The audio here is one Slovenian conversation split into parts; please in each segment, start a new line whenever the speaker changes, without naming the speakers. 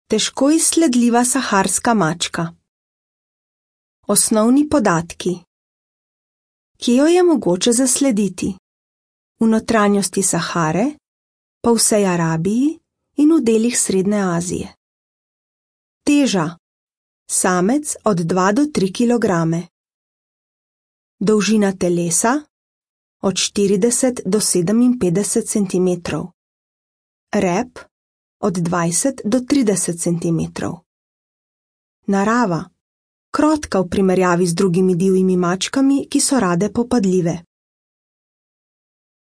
Težko izsledljiva saharska mačka. Osnovni podatki. Kje jo je mogoče zaslediti? V notranjosti Sahare, po vsej Arabiji in v delih Srednje Azije. Teža. Samec od 2 do 3 kg. Dolžina telesa od 40 do 57 cm. Rep od 20 do 30 cm. Narava. Krotka v primerjavi z drugimi divjimi mačkami, ki so rade popadljive.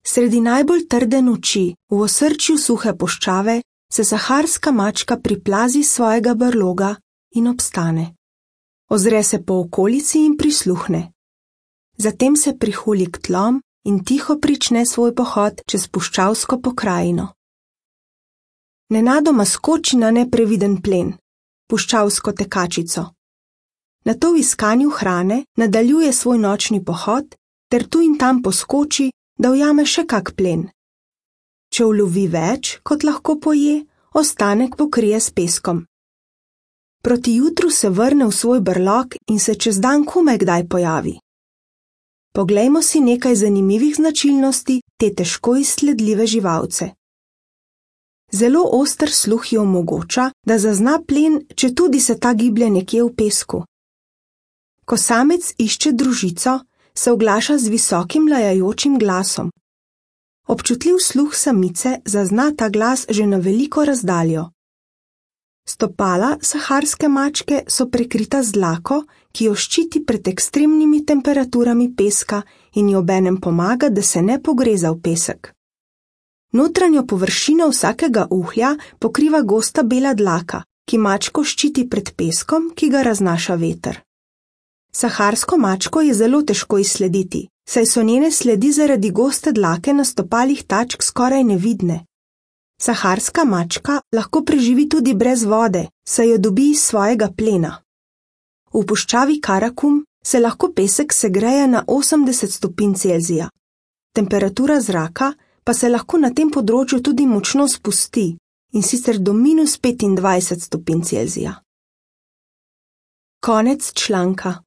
Sredi najbolj trde noči, v osrčju suhe puščave, se saharska mačka priplazi svojega brloga in obstane. Ozre se po okolici in prisluhne. Zatem se prihuli k tlom in tiho prične svoj pohod čez puščavsko pokrajino. Nenadoma skoči na nepreviden plen, puščavsko tekačico. Nato v iskanju hrane nadaljuje svoj nočni pohod ter tu in tam poskoči, da ujame še kak plen. Če ulovi več, kot lahko poje, ostanek pokrije s peskom. Proti jutru se vrne v svoj brlog in se čez dan komaj kdaj pojavi. Poglejmo si nekaj zanimivih značilnosti te težko izsledljive živalce. Zelo oster sluh ji omogoča, da zazna plen, četudi se ta giblje nekje v pesku. Ko samec išče družico, se oglaša z visokim lajajočim glasom. Občutljiv sluh samice zazna ta glas že na veliko razdaljo. Stopala saharske mačke so prekrita z dlako, ki jo ščiti pred ekstremnimi temperaturami peska in ji obenem pomaga, da se ne pogreza v pesek. Notranjo površino vsakega uhlja pokriva gosta bela dlaka, ki mačko ščiti pred peskom, ki ga raznaša veter. Saharsko mačko je zelo težko izslediti, saj so njene sledi zaradi goste dlake na stopalih tačk skoraj nevidne. Saharska mačka lahko preživi tudi brez vode, saj jo dobi iz svojega plena. V puščavi Karakum se lahko pesek segreje na 80 stopinj Celzija. Temperatura zraka pa se lahko na tem področju tudi močno spusti, in sicer do -25 stopinj Celzija. Konec članka.